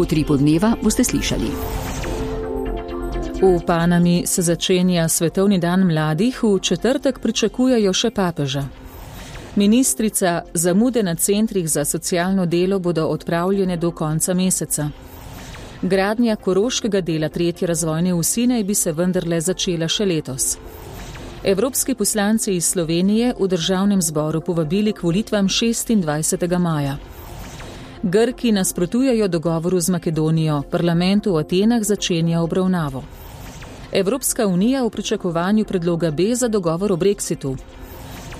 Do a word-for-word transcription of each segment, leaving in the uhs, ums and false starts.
V Utripu dneva boste slišali. V Panami se začenja Svetovni dan mladih, v četrtek pričakujejo še papeža. Ministrica, zamude na centrih za socialno delo bodo odpravljene do konca meseca. Gradnja koroškega dela tretje razvojne osi naj bi se vendarle začela še letos. Evropski poslanci iz Slovenije v državnem zboru povabili k volitvam šestindvajsetega maja. Grki nasprotujejo dogovoru z Makedonijo, parlament v Atenah začenja obravnavo. Evropska unija v pričakovanju predloga B za dogovor o brexitu.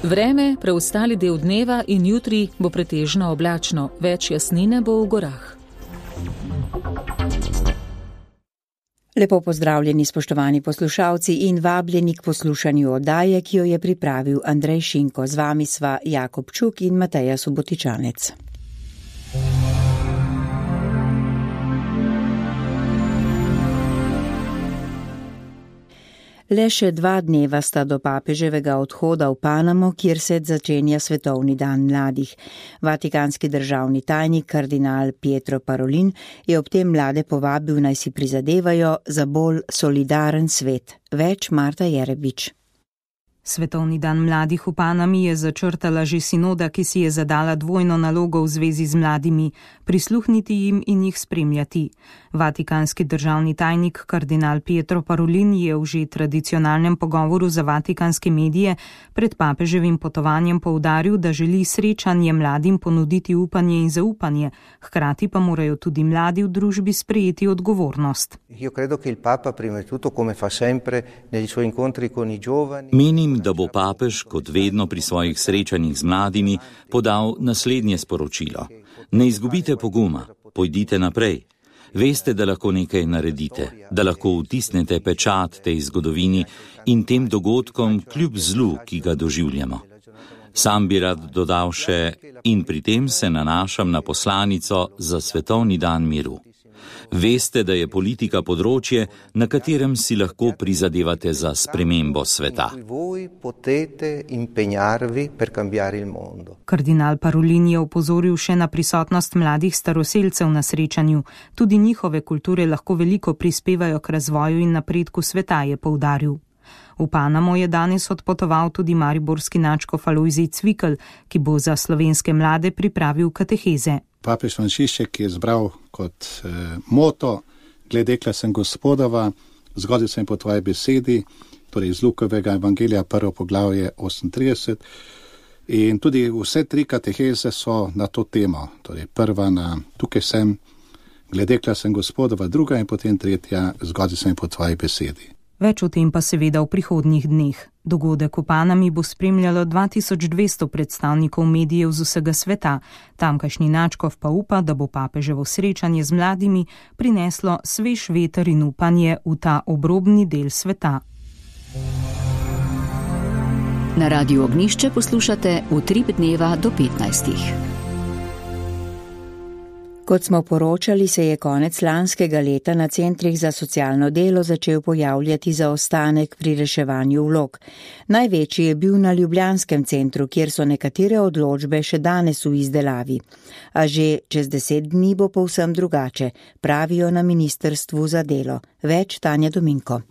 Vreme, preostali del dneva in jutri bo pretežno oblačno, več jasnine bo v gorah. Lepo pozdravljeni, spoštovani poslušalci in vabljeni k poslušanju oddaje, ki jo je pripravil Andrej Šinko. Z vami sva Jakob Čuk in Mateja Subotičanec. Le še dva dneva sta do papeževega odhoda v Panamo, kjer se začenja Svetovni dan mladih. Vatikanski državni tajnik kardinal Pietro Parolin je ob tem mlade povabil, naj si prizadevajo za bolj solidaren svet. Več Marta Jerebič. Svetovni dan mladih v Panami je začrtala že sinoda, ki si je zadala dvojno nalogo v zvezi z mladimi, prisluhniti jim in jih spremljati. Vatikanski državni tajnik kardinal Pietro Parolin je v že tradicionalnem pogovoru za vatikanske medije pred papeževim potovanjem poudaril, da želi srečanje mladim ponuditi upanje in zaupanje, hkrati pa morajo tudi mladi v družbi sprejeti odgovornost. Menim, da bo papež, kot vedno pri svojih srečanjih z mladimi, podal naslednje sporočilo. Ne izgubite poguma, pojdite naprej. Veste, da lahko nekaj naredite, da lahko vtisnete pečat tej zgodovini in tem dogodkom kljub zlu, ki ga doživljamo. Sam bi rad dodal še, in pri tem se nanašam na poslanico za Svetovni dan miru. Veste, da je politika področje, na katerem si lahko prizadevate za spremembo sveta. Kardinal Parolin je opozoril še na prisotnost mladih staroselcev na srečanju. Tudi njihove kulture lahko veliko prispevajo k razvoju in napredku sveta, je poudaril. V Panamo je danes odpotoval tudi mariborski nadškof Alojzij Cvikl, ki bo za slovenske mlade pripravil kateheze. Papež Frančišek je zbral kot eh, moto: gledekla sem Gospodova, zgodil sem po tvoji besedi, torej iz Lukovega evangelija, prvo poglavje osemintrideset. In tudi vse tri kateheze so na to temo. Torej prva na tukaj sem, gledekla sem Gospodova, druga in potem tretja, zgodil sem po tvoji besedi. Več o tem pa seveda v prihodnjih dneh. Dogodek v Panami bo spremljalo dva tisoč dvesto predstavnikov medijev z vsega sveta. Tamkajšnji nadškof pa upa, da bo papeževo srečanje z mladimi prineslo svež veter in upanje v ta obrobni del sveta. Na Radiu Ognjišče poslušate Utrip dneva do petnajstih. Kot smo poročali, se je konec lanskega leta na centrih za socialno delo začel pojavljati zaostanek pri reševanju vlog. Največji je bil na ljubljanskem centru, kjer so nekatere odločbe še danes v izdelavi. A že čez deset dni bo povsem drugače, pravijo na Ministrstvu za delo. Več Tanja Dominko.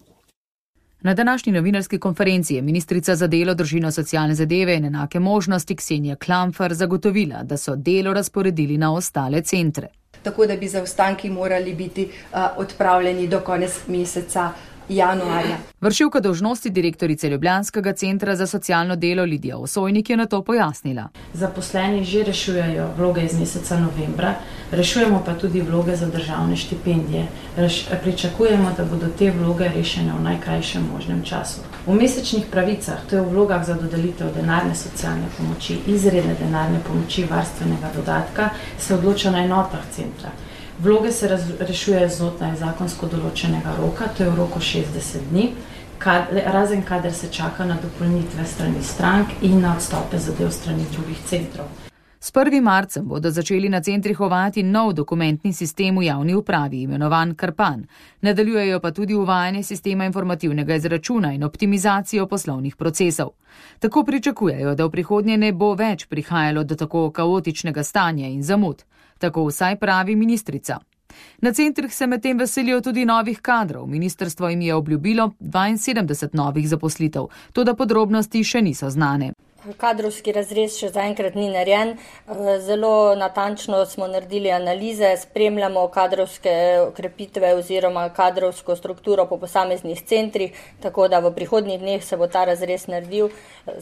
Na današnji novinarski konferenci je ministrica za delo, družino, socialne zadeve in enake možnosti Ksenija Klampfer zagotovila, da so delo razporedili na ostale centre. Tako da bi zaostanki morali biti uh, odpravljeni do konec meseca januarja. Vršilka dolžnosti direktorice Ljubljanskega centra za socialno delo Lidija Osojnik je na to pojasnila. Zaposleni že rešujejo vloge iz meseca novembra, rešujemo pa tudi vloge za državne štipendije. Reš, pričakujemo, da bodo te vloge rešene v najkrajšem možnem času. V mesečnih pravicah, to je v vlogah za dodelitev denarne socialne pomoči, izredne denarne pomoči, varstvenega dodatka, se odloča na enotah centra. Vloge se rešujejo znotraj zakonsko določenega roka, to je v roku šestdeset dni, kad, razen kadar se čaka na dopolnitve strani strank in na odstope zadev strani drugih centrov. S prvim marcem bodo začeli na centrih uvajati nov dokumentni sistem v javni upravi, imenovan Krpan. Nadaljujejo pa tudi uvajanje sistema informativnega izračuna in optimizacijo poslovnih procesov. Tako pričakujejo, da v prihodnje ne bo več prihajalo do tako kaotičnega stanja in zamud. Tako vsaj pravi ministrica. Na centrih se medtem veselijo tudi novih kadrov. Ministrstvo jim je obljubilo dvainsedemdeset novih zaposlitev, toda podrobnosti še niso znane. Kadrovski razrez še zaenkrat ni narejen. Zelo natančno smo naredili analize, spremljamo kadrovske okrepitve oziroma kadrovsko strukturo po posameznih centrih, tako da v prihodnjih dneh se bo ta razrez naredil.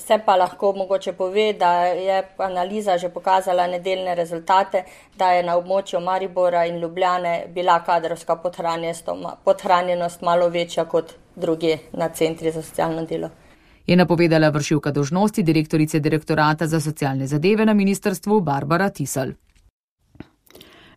Se pa lahko mogoče pove, da je analiza že pokazala nedeljne rezultate, da je na območju Maribora in Ljubljane bila kadrovska podhranjenost malo večja kot druge na centri za socialno delo. Je napovedala vršilka dolžnosti direktorice Direktorata za socialne zadeve na ministrstvu Barbara Tisel.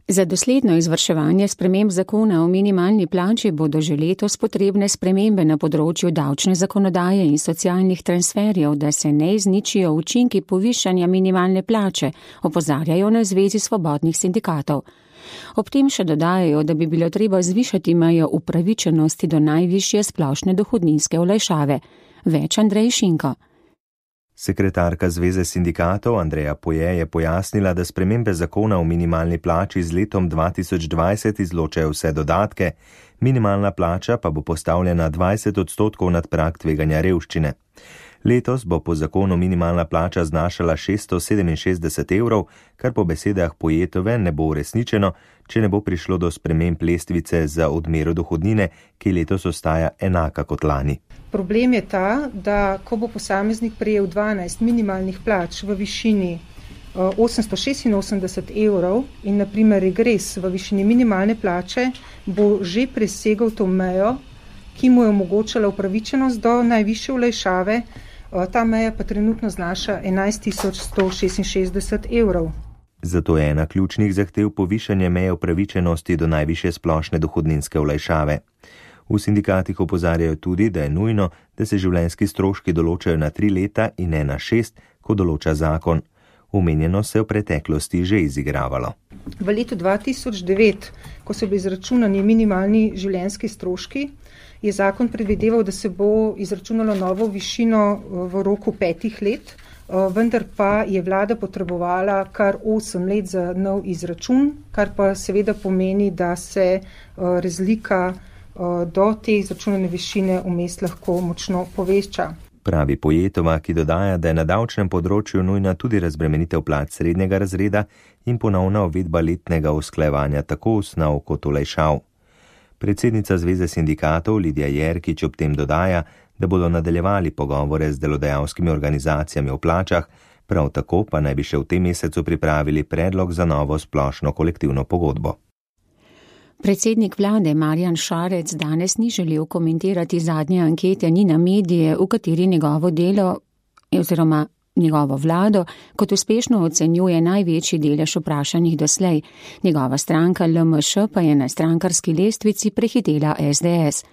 Za dosledno izvrševanje sprememb zakona o minimalni plači bodo že letos potrebne spremembe na področju davčne zakonodaje in socialnih transferjev, da se ne izničijo učinki povišanja minimalne plače, opozarjajo na Zvezi svobodnih sindikatov. Ob tem še dodajajo, da bi bilo treba zvišati mejo upravičenosti do najvišje splošne dohodninske olajšave. Več Andrej Šinko. Sekretarka Zveze sindikatov Andreja Poje je pojasnila, da spremembe zakona o minimalni plači z letom dva tisoč dvajset izločajo vse dodatke, minimalna plača pa bo postavljena dvajset odstotkov nad prag tveganja revščine. Letos bo po zakonu minimalna plača znašala šeststo sedeminšestdeset evrov, kar po besedah Pojetove ne bo uresničeno, če ne bo prišlo do sprememb lestvice za odmero dohodnine, ki letos ostaja enaka kot lani. Problem je ta, da ko bo posameznik prejel dvanajst minimalnih plač v višini osemsto šestinosemdeset evrov in na primer regres v višini minimalne plače, bo že presegel to mejo, ki mu je omogočala upravičenost do najvišje olajšave, ta meja pa trenutno znaša enajst tisoč sto šestinšestdeset evrov. Zato je ena ključnih zahtev povišanje meje upravičenosti do najvišje splošne dohodninske olajšave. V sindikatih opozarjajo tudi, da je nujno, da se življenjski stroški določajo na tri leta in ne na šest, ko določa zakon. Omenjeno se je v preteklosti že izigravalo. V letu dva tisoč devet, ko so bili izračunani minimalni življenjski stroški, je zakon predvideval, da se bo izračunalo novo višino v roku petih let, vendar pa je vlada potrebovala kar osem let za nov izračun, kar pa seveda pomeni, da se razlika do te izračunane višine vmes lahko močno poveča. Pravi Pojetova, ki dodaja, da je na davčnem področju nujna tudi razbremenitev plač srednjega razreda in ponovna uvedba letnega usklajevanja tako osnov kot olajšav. Predsednica Zveze sindikatov Lidija Jerkič ob tem dodaja, da bodo nadaljevali pogovore z delodajalskimi organizacijami o plačah, prav tako pa naj bi še v tem mesecu pripravili predlog za novo splošno kolektivno pogodbo. Predsednik vlade Marjan Šarec danes ni želel komentirati zadnje ankete Nina Medije, v kateri njegovo delo oziroma njegovo vlado kot uspešno ocenjuje največji delež vprašanih doslej. Njegova stranka L M Š pa je na strankarski lestvici prehitela S D S.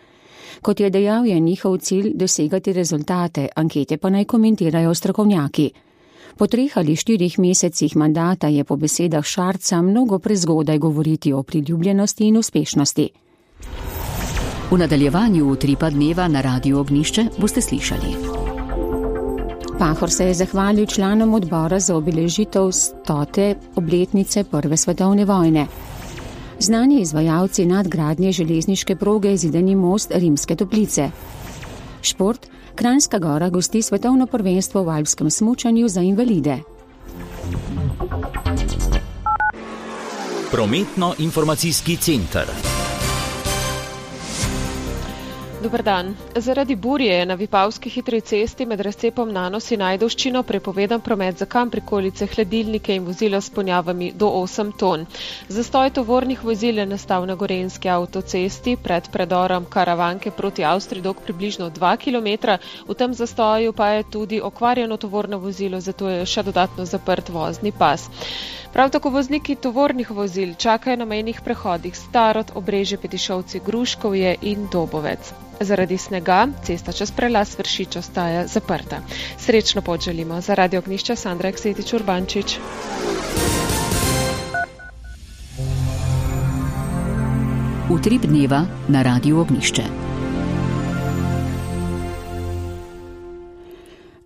Kot je dejal, je njihov cilj dosegati rezultate, ankete pa naj komentirajo strokovnjaki. Po treh ali štirih mesecih mandata je po besedah Šarca mnogo prezgodaj govoriti o priljubljenosti in uspešnosti. V nadaljevanju Utripa dneva na Radiu Ognjišče boste slišali. Pahor se je zahvalil članom odbora za obeležitev stote obletnice Prve svetovne vojne. Znani izvajalci nadgradnje železniške proge Zidani most Rimske Toplice. Šport. Kranjska Gora gosti svetovno prvenstvo v alpskem smučanju za invalide. Prometno-informacijski center. Dobar dan. Zaradi burje je na Vipavski hitri cesti med razcepom Nanos in Ajdovščino prepovedan promet za kamprikolice, hladilnike in vozila s ponjavami do osem ton. Zastoj tovornih vozil je nastal na Gorenjski avtocesti pred predorom Karavanke proti Avstriji dolg približno dva kilometra. V tem zastoju pa je tudi okvarjeno tovorno vozilo, zato je še dodatno zaprt vozni pas. Prav tako vozniki tovornih vozil čakajo na mejnih prehodih Starod, Obrežje, Petišovci, Gruškovje in Dobovec. Zaradi snega cesta čez prelaz Vršič ostaja zaprta. Srečno pot želimo. Za Radio Ognjišče Sandra Eksetič Urbančič. Utrip dneva na Radiu Ognjišče.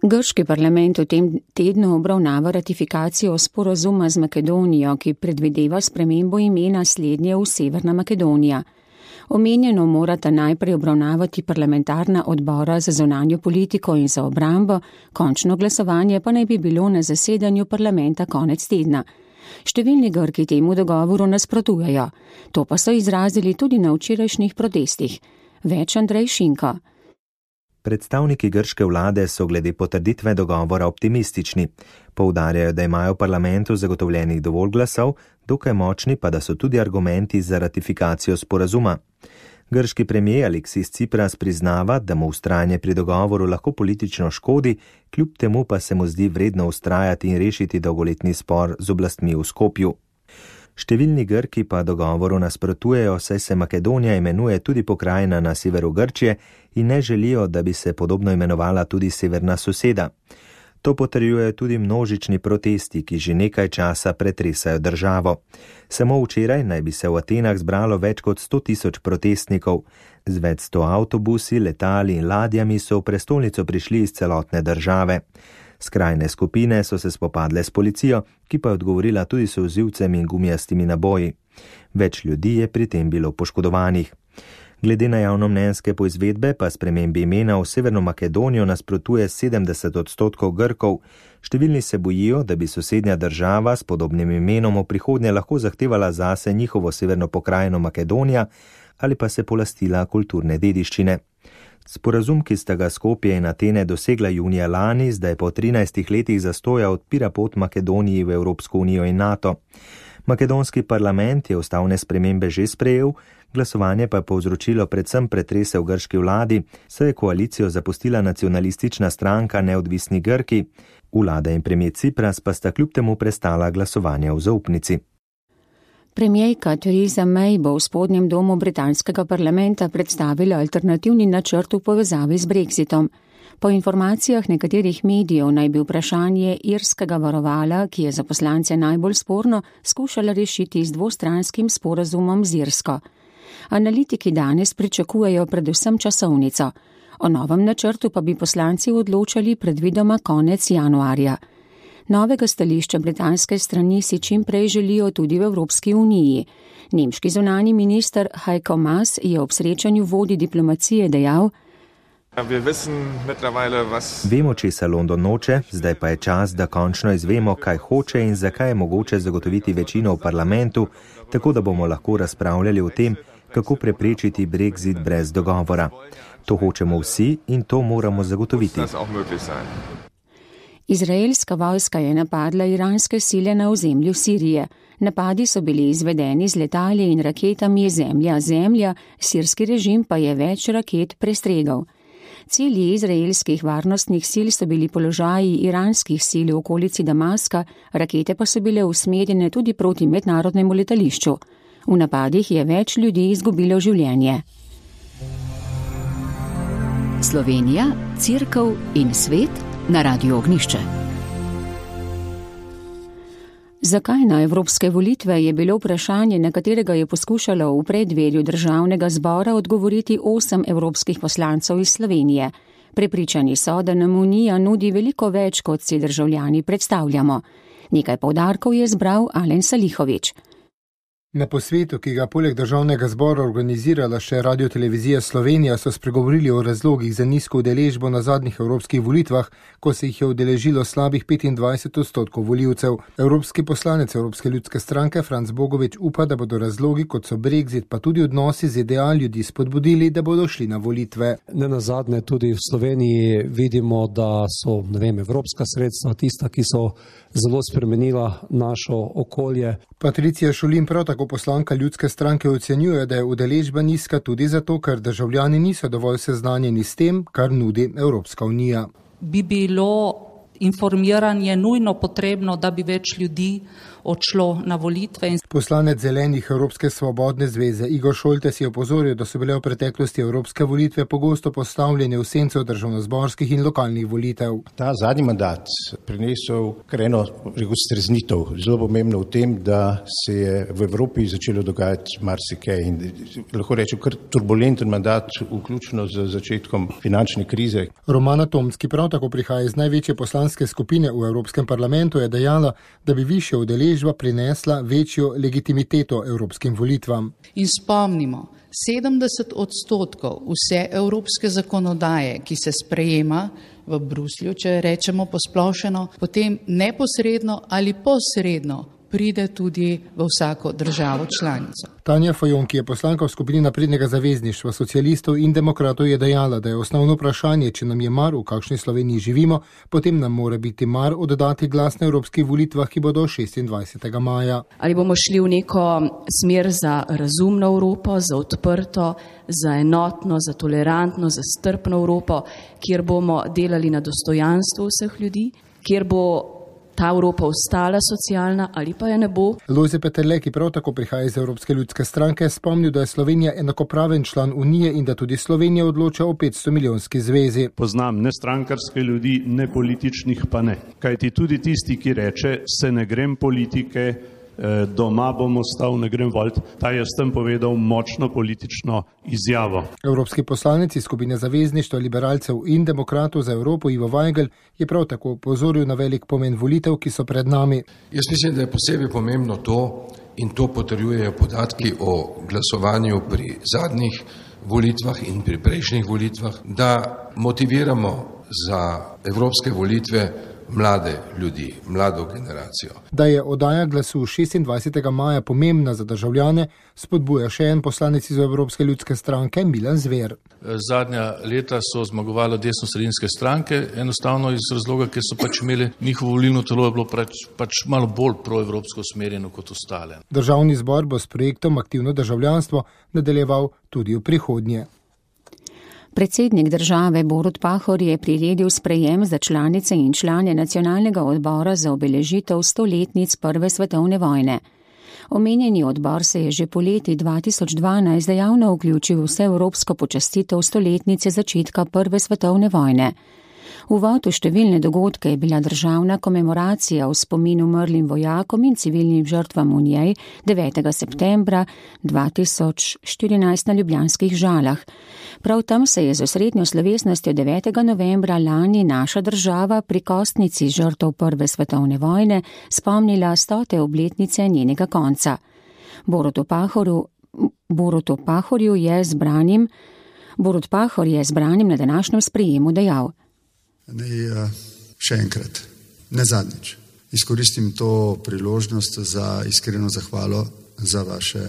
Grški parlament v tem tednu obravnava ratifikacijo sporazuma z Makedonijo, ki predvideva spremembo imena slednje v Severna Makedonija. Omenjeno morata najprej obravnavati parlamentarna odbora za zunanjo politiko in za obrambo, končno glasovanje pa naj bi bilo na zasedanju parlamenta konec tedna. Številni Grki temu dogovoru nasprotujejo, to pa so izrazili tudi na včerajšnjih protestih. Več Andrej Šinko. Predstavniki grške vlade so glede potrditve dogovora optimistični. Poudarjajo, da imajo v parlamentu zagotovljenih dovolj glasov, dokaj močni pa, da so tudi argumenti za ratifikacijo sporazuma. Grški premijer Aleksis Cipras priznava, da mu vztrajanje pri dogovoru lahko politično škodi, kljub temu pa se mu zdi vredno vztrajati in rešiti dolgoletni spor z oblastmi v Skopju. Številni Grki pa dogovoru nasprotujejo, saj se Makedonija imenuje tudi pokrajina na severu Grčije in ne želijo, da bi se podobno imenovala tudi severna soseda. To potrjujejo tudi množični protesti, ki že nekaj časa pretresajo državo. Samo včeraj naj bi se v Atenah zbralo več kot sto tisoč protestnikov. Z več sto avtobusi, letali in ladjami so v prestolnico prišli iz celotne države. Skrajne skupine so se spopadle s policijo, ki pa je odgovorila tudi s solzivcem in gumijastimi naboji. Več ljudi je pri tem bilo poškodovanih. Glede na javnomnenjske poizvedbe pa spremembi imena v Severno Makedonijo nasprotuje sedemdeset odstotkov Grkov. Številni se bojijo, da bi sosednja država s podobnim imenom v prihodnje lahko zahtevala zase njihovo severno pokrajino Makedonija ali pa se polastila kulturne dediščine. Sporazum, ki sta ga Skopje in Atene dosegla junija lani, zdaj po trinajstih letih zastoja odpira pot Makedoniji v Evropsko unijo in NATO. Makedonski parlament je ustavne spremembe že sprejel, glasovanje pa je povzročilo predvsem pretrese v grški vladi, saj je koalicijo zapustila nacionalistična stranka Neodvisni Grki. Vlada in premijer Cipras pa sta kljub temu prestala glasovanje v zaupnici. Premijerka Theresa May bo v spodnjem domu britanskega parlamenta predstavila alternativni načrt v povezavi z Brexitom. Po informacijah nekaterih medijev naj bi vprašanje irskega varovala, ki je za poslance najbolj sporno, skušala rešiti z dvostranskim sporazumom z Irsko. Analitiki danes pričakujejo predvsem časovnico. O novem načrtu pa bi poslanci odločali predvidoma konec januarja. Novega stališča britanske strani si čim prej želijo tudi v Evropski uniji. Nemški zunanji minister Heiko Maas je ob srečanju vodij diplomacije dejal: Vemo, česa London noče, zdaj pa je čas, da končno izvemo, kaj hoče in zakaj je mogoče zagotoviti večino v parlamentu, tako da bomo lahko razpravljali o tem, kako preprečiti Brexit brez dogovora. To hočemo vsi in to moramo zagotoviti. Izraelska vojska je napadla iranske sile na ozemlju Sirije. Napadi so bili izvedeni z letali in raketami zemlja-zemlja, sirski režim pa je več raket prestregal. Cilji izraelskih varnostnih sil so bili položaji iranskih sil v okolici Damaska, rakete pa so bile usmerjene tudi proti mednarodnemu letališču. V napadih je več ljudi izgubilo življenje. Slovenija, Cerkev in svet na Radiu Ognjišče. Zakaj na evropske volitve je bilo vprašanje, na katerega je poskušalo v preddverju državnega zbora odgovoriti osem evropskih poslancev iz Slovenije. Prepričani so, da nam Unija nudi veliko več, kot si državljani predstavljamo. Nekaj poudarkov je zbral Alen Salihovič. Na posvetu, ki ga poleg državnega zbora organizirala še Radiotelevizija Slovenija, so spregovorili o razlogih za nizko udeležbo na zadnjih evropskih volitvah, ko se jih je udeležilo slabih petindvajset odstotkov volivcev. Evropski poslanec Evropske ljudske stranke Franc Bogovič upa, da bodo razlogi, kot so Brexit, pa tudi odnosi z Z D A ljudi spodbudili, da bodo šli na volitve. Ne nazadnje tudi v Sloveniji vidimo, da so, ne vem, evropska sredstva tista, ki so zelo spremenila našo okolje. Patricija Šulin, prav tako poslanka ljudske stranke, ocenjuje, da je udeležba nizka tudi zato, ker državljani niso dovolj seznanjeni s tem, kar nudi Evropska unija. Bi bilo informiranje nujno potrebno, da bi več ljudi odšlo na volitve. Poslanec Zelenih Evropske svobodne zveze Igor Šoltes je opozoril, da so bile v preteklosti evropske volitve pogosto postavljene v senco državnozborskih in lokalnih volitev. Ta zadnji mandat prinesel kar eno streznitev, zelo pomembno v tem, da se je v Evropi začelo dogajati marsikaj in lahko rečem kar turbulenten mandat, vključno z začetkom finančne krize. Romana Tomc, ki prav tako prihaja iz največje poslanske skupine v Evropskem parlamentu, je dejala, da bi višja udeležba prinesla večjo legitimiteto evropskim volitvam. In spomnimo, sedemdeset odstotkov vse evropske zakonodaje, ki se sprejema v Bruslju, če rečemo posplošeno, potem neposredno ali posredno pride tudi v vsako državo članico. Tanja Fajon, ki je poslanka v skupini Naprednega zavezništva socialistov in demokratov, je dejala, da je osnovno vprašanje, če nam je mar, v kakšni Sloveniji živimo, potem nam mora biti mar oddati glas na evropskih volitvah, ki bodo šestindvajsetega maja. Ali bomo šli v neko smer za razumno Evropo, za odprto, za enotno, za tolerantno, za strpno Evropo, kjer bomo delali na dostojanstvu vseh ljudi, kjer bo ta Evropa ostala socialna ali pa je ne bo. Lojze Peterle, ki prav tako prihaja iz Evropske ljudske stranke, spomnil, da je Slovenija enakopraven član Unije in da tudi Slovenija odloča o petsto milijonski zvezi. Poznam ne strankarske ljudi, ne političnih pa ne. Kajti tudi tisti, ki reče, se ne grem politike, doma bom ostal, ne grem volit, ta je s tem povedal močno politično izjavo. Evropski poslanec iz skupine zavezništva liberalcev in demokratov za Evropo Ivo Vajgl je prav tako opozoril na velik pomen volitev, ki so pred nami. Jaz mislim, da je posebej pomembno to, in to potrjujejo podatki o glasovanju pri zadnjih volitvah in pri prejšnjih volitvah, da motiviramo za evropske volitve mlade ljudi, mlado generacijo. Da je oddaja glasu šestindvajsetega maja pomembna za državljane, spodbuja še en poslanec iz Evropske ljudske stranke, Milan Zver. Zadnja leta so zmagovale desnosredinske stranke, enostavno iz razloga, ker so pač imeli njihovo volilno telo je bilo pač, pač malo bolj proevropsko usmerjeno kot ostale. Državni zbor bo s projektom Aktivno državljanstvo nadaljeval tudi v prihodnje. Predsednik države Borut Pahor je priredil sprejem za članice in člane nacionalnega odbora za obeležitev stoletnic Prve svetovne vojne. Omenjeni odbor se je že poleti dva tisoč dvanajst dejavno vključil v vseevropsko počastitev stoletnice začetka Prve svetovne vojne. Uvod v številne dogodke je bila državna komemoracija v spomin umrlim vojakom in civilnim žrtvam v njej devetega septembra dva tisoč štirinajst na Ljubljanskih Žalah. Prav tam se je z osrednjo slovesnostjo devetega novembra lani naša država pri kostnici žrtev Prve svetovne vojne spomnila stote obletnice njenega konca. Borutu Pahorju, Borutu Pahorju je zbranim, Borut Pahor je zbranim na današnjem sprejemu dejal: Naj še enkrat, ne zadnjič, izkoristim to priložnost za iskreno zahvalo za vaše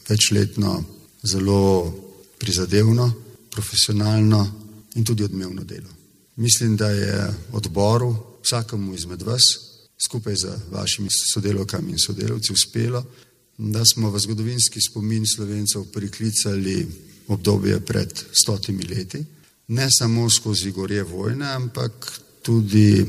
večletno, zelo prizadevno, profesionalno in tudi odmevno delo. Mislim, da je odboru, vsakemu izmed vas, skupaj z vašimi sodelavkami in sodelavci uspelo, da smo v zgodovinski spomin Slovencev priklicali obdobje pred stotimi leti. Ne samo skozi gorje vojne, ampak tudi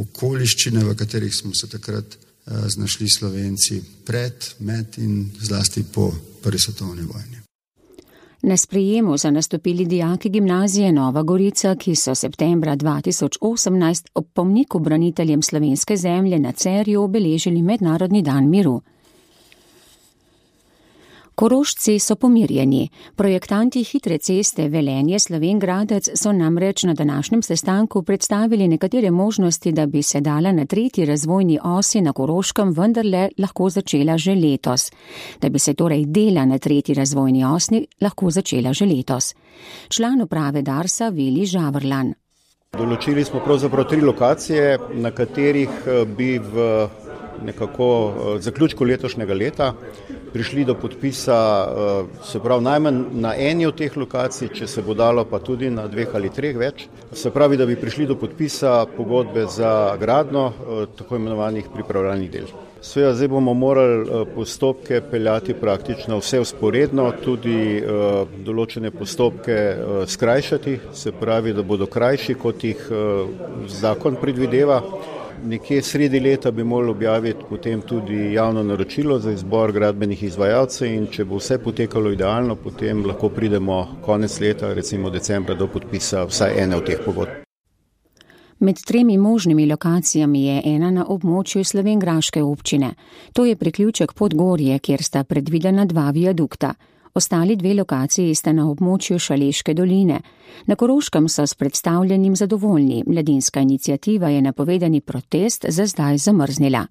okoliščine, v katerih smo se takrat znašli Slovenci pred, med in zlasti po Prvi svetovni vojni. Na sprejemu so nastopili dijaki gimnazije Nova Gorica, ki so septembra dva tisoč osemnajst ob pomniku braniteljem slovenske zemlje na Cerju obeležili Mednarodni dan miru. Korošci so pomirjeni. Projektanti hitre ceste Velenje-Slovenj Gradec so namreč na današnjem sestanku predstavili nekatere možnosti, da bi se dala na tretji razvojni osi na Koroškem vendarle lahko začela že letos. Da bi se torej dela na tretji razvojni osi lahko začela že letos. Član uprave Darsa Vili Žavrlan. Določili smo pravzaprav tri lokacije, na katerih bi v nekako zaključku letošnjega leta prišli do podpisa, se pravi najmanj na eni od teh lokacij, če se bo dalo pa tudi na dveh ali treh več, se pravi, da bi prišli do podpisa pogodbe za gradnjo tako imenovanih pripravljalnih del. Sveda, zdaj bomo morali postopke peljati praktično vse vzporedno, tudi uh, določene postopke uh, skrajšati, se pravi, da bodo krajši, kot jih uh, zakon predvideva. Nekje sredi leta bi morali objaviti potem tudi javno naročilo za izbor gradbenih izvajalcev in če bo vse potekalo idealno, potem lahko pridemo konec leta, recimo decembra, do podpisa vsaj ene od teh pogodb. Med tremi možnimi lokacijami je ena na območju slovenjgraške občine. To je priključek Podgorje, kjer sta predvidena dva viadukta. Ostali dve lokaciji sta na območju Šaleške doline. Na Koroškem so s predstavljenim zadovoljni. Mladinska iniciativa je napovedani protest za zdaj zamrznila.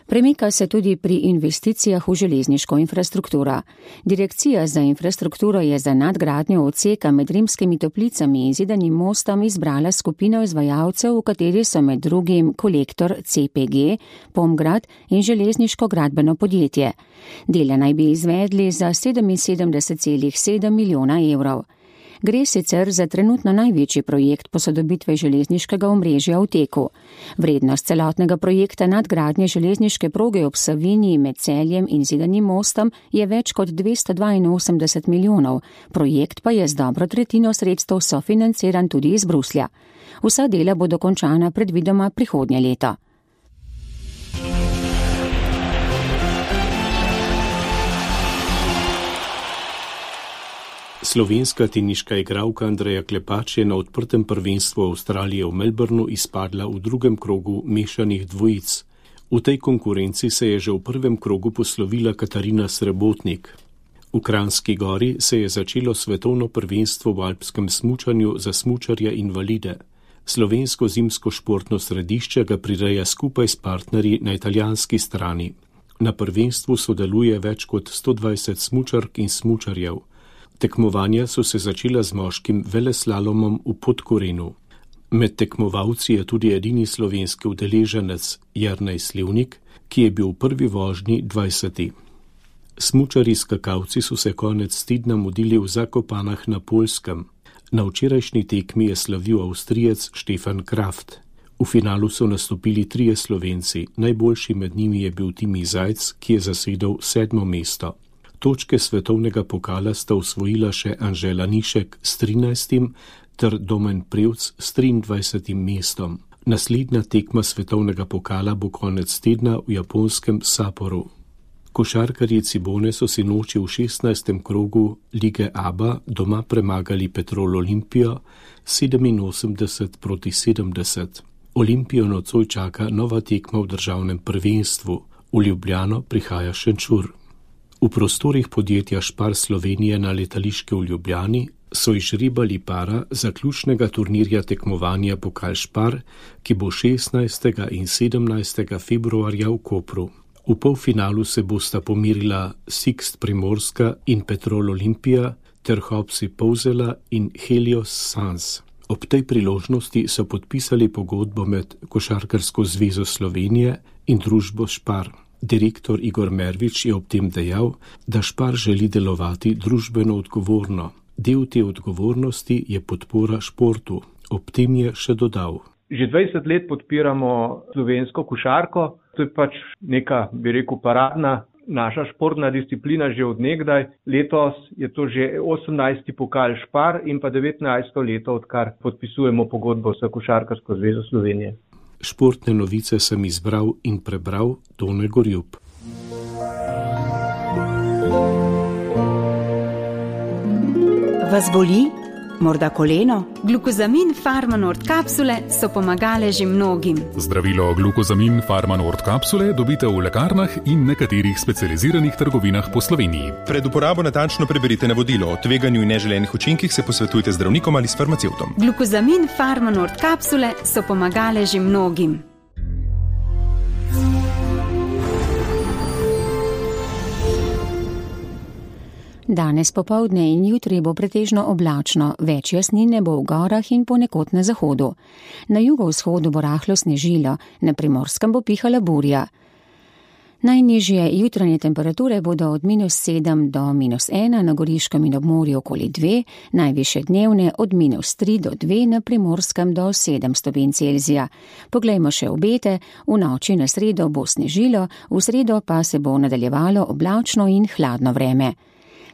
Premika se tudi pri investicijah v železniško infrastrukturo. Direkcija za infrastrukturo je za nadgradnjo odseka med Rimskimi Toplicami in Zidanim mostom izbrala skupino izvajalcev, v kateri so med drugim Kolektor C P G, Pomgrad in železniško gradbeno podjetje. Dela naj bi izvedli za sedeminsedemdeset celih sedem milijona evrov. Gre sicer za trenutno največji projekt posodobitve železniškega omrežja v teku. Vrednost celotnega projekta nadgradnje železniške proge ob Savinji med Celjem in Zidanim mostom je več kot dvesto dvainosemdeset milijonov. Projekt pa je z dobro tretjino sredstev sofinanciran tudi iz Bruslja. Vsa dela bodo končana predvidoma prihodnje leto. Slovenska teniška igralka Andreja Klepač je na odprtem prvenstvu Avstralije v Melbourneu izpadla v drugem krogu mešanih dvojic. V tej konkurenci se je že v prvem krogu poslovila Katarina Srebotnik. V Kranjski Gori se je začelo svetovno prvenstvo v alpskem smučanju za smučarje invalide. Slovensko zimsko športno središče ga prireja skupaj s partnerji na italijanski strani. Na prvenstvu sodeluje več kot sto dvajset smučark in smučarjev. Tekmovanja so se začela z moškim veleslalomom v Podkorenu. Med tekmovalci je tudi edini slovenski udeleženec Jernej Slivnik, ki je bil v prvi vožnji dvajseti. Smučari skakalci so se konec tedna mudili v Zakopanah na Poljskem. Na včerajšnji tekmi je slavil Avstrijec Štefan Kraft. V finalu so nastopili trije Slovenci, najboljši med njimi je bil Timi Zajc, ki je zasedel sedmo mesto. Točke svetovnega pokala sta osvojila še Anžela Nišek s trinajstim ter Domen Prevc s triindvajsetim mestom. Naslednja tekma svetovnega pokala bo konec tedna v japonskem Sapporu. Košarkarji Cibone so si noči v šestnajstem krogu lige A B A doma premagali Petrol Olimpijo sedeminosemdeset proti sedemdeset. Olimpijo nocoj čaka nova tekma v državnem prvenstvu. V Ljubljano prihaja Šenčur. V prostorih podjetja Spar Slovenije na letališke v Ljubljani so izžrebali para zaključnega turnirja tekmovanja Pokal Spar, ki bo šestnajstega in sedemnajstega februarja v Kopru. V polfinalu se bosta pomirila Sixt Primorska in Petrol Olimpija ter Hopsi Povzela in Helios Sans. Ob tej priložnosti so podpisali pogodbo med Košarkarsko zvezo Slovenije in družbo Spar. Direktor Igor Mervič je ob tem dejal, da Spar želi delovati družbeno odgovorno. Del te odgovornosti je podpora športu. Ob tem je še dodal. Že dvajset let podpiramo slovensko košarko. To je pač neka, bi rekel, paradna naša športna disciplina že od nekdaj. Letos je to že osemnajsti pokal Spar in pa devetnajsto leto, odkar podpisujemo pogodbo s Košarkarsko zvezo Slovenije. Športne novice sem izbral in prebral Tone Gorjub. Vas boli? Morda koleno? Glukozamin Farmanord kapsule so pomagale že mnogim. Zdravilo glukozamin Farmanord kapsule dobite v lekarnah in nekaterih specializiranih trgovinah po Sloveniji. Pred uporabo natančno preberite navodilo. O tveganju in neželenih učinkih se posvetujte z zdravnikom ali s farmacevtom. Glukozamin Farmanord kapsule so pomagale že mnogim. Danes popoldne in jutri bo pretežno oblačno, več jasnine bo v gorah in ponekod na zahodu. Na jugovzhodu bo rahlo snežilo, na Primorskem bo pihala burja. Najnižje jutranje temperature bodo od minus sedem do minus ena, na Goriškem in ob morju okoli dve, najvišje dnevne od minus tri do dve, na Primorskem do sedem stopinj Celzija. Poglejmo še obete, v noči na sredo bo snežilo, v sredo pa se bo nadaljevalo oblačno in hladno vreme.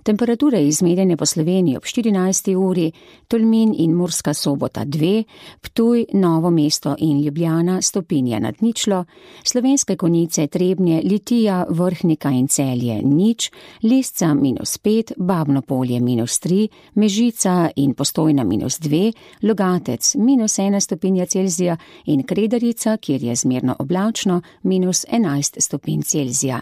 Temperature izmerjene po Sloveniji ob štirinajsti uri, Tolmin in Murska Sobota dve, Ptuj, Novo mesto in Ljubljana stopinja nad ničlo, Slovenske Konjice, Trebnje, Litija, Vrhnika in Celje nič, Lisca minus pet, Babno Polje minus tri, Mežica in Postojna minus dve, Logatec minus ena stopinja Celzija in Kredarica, kjer je zmerno oblačno, minus enajst stopinj Celzija.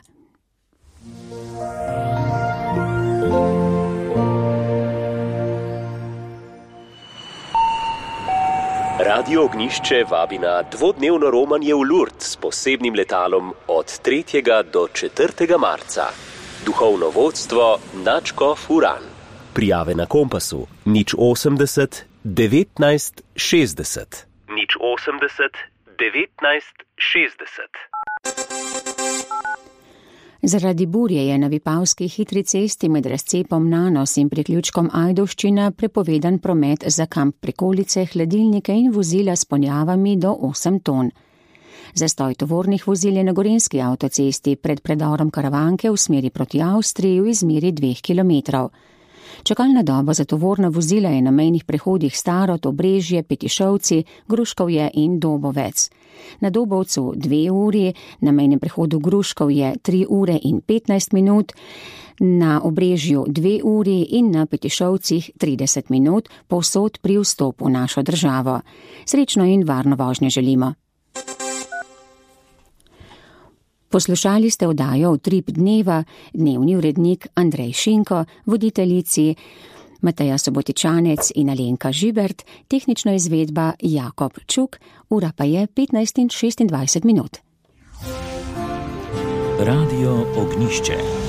Radio Ognišče vabi na dvodnevno romanje v Lourdes s posebnim letalom od tretjega do četrtega marca. Duhovno vodstvo nadškof Uran. Prijave na Kompasu nič osemdeset devetnajst šestdeset. nič osemdeset devetnajst šestdeset. Zaradi burje je na Vipavski hitri cesti med razcepom Nanos in priključkom Ajdovščina prepovedan promet za kamp prikolice, hladilnike in vozila s ponjavami do osem ton. Zastoj tovornih vozil je na Gorenjski avtocesti pred predorom Karavanke v smeri proti Avstriji v izmeri dveh kilometrov. Čakalna doba za tovorna vozila je na mejnih prehodih Starod, Obrežje, Petišovci, Gruškovje in Dobovec. Na Dobovcu dve uri, na mejnem prehodu Gruškovje tri ure in petnajst minut, na Obrežju dve uri in na Petišovcih trideset minut, povsod pri vstopu v našo državo. Srečno in varno vožnjo želimo. Poslušali ste oddajo Utrip dneva, dnevni urednik Andrej Šinko, voditeljici Mateja Sobotičanec in Alenka Žibert, tehnična izvedba Jakob Čuk, ura pa je petnajst in šestindvajset minut. Radio Ognišče.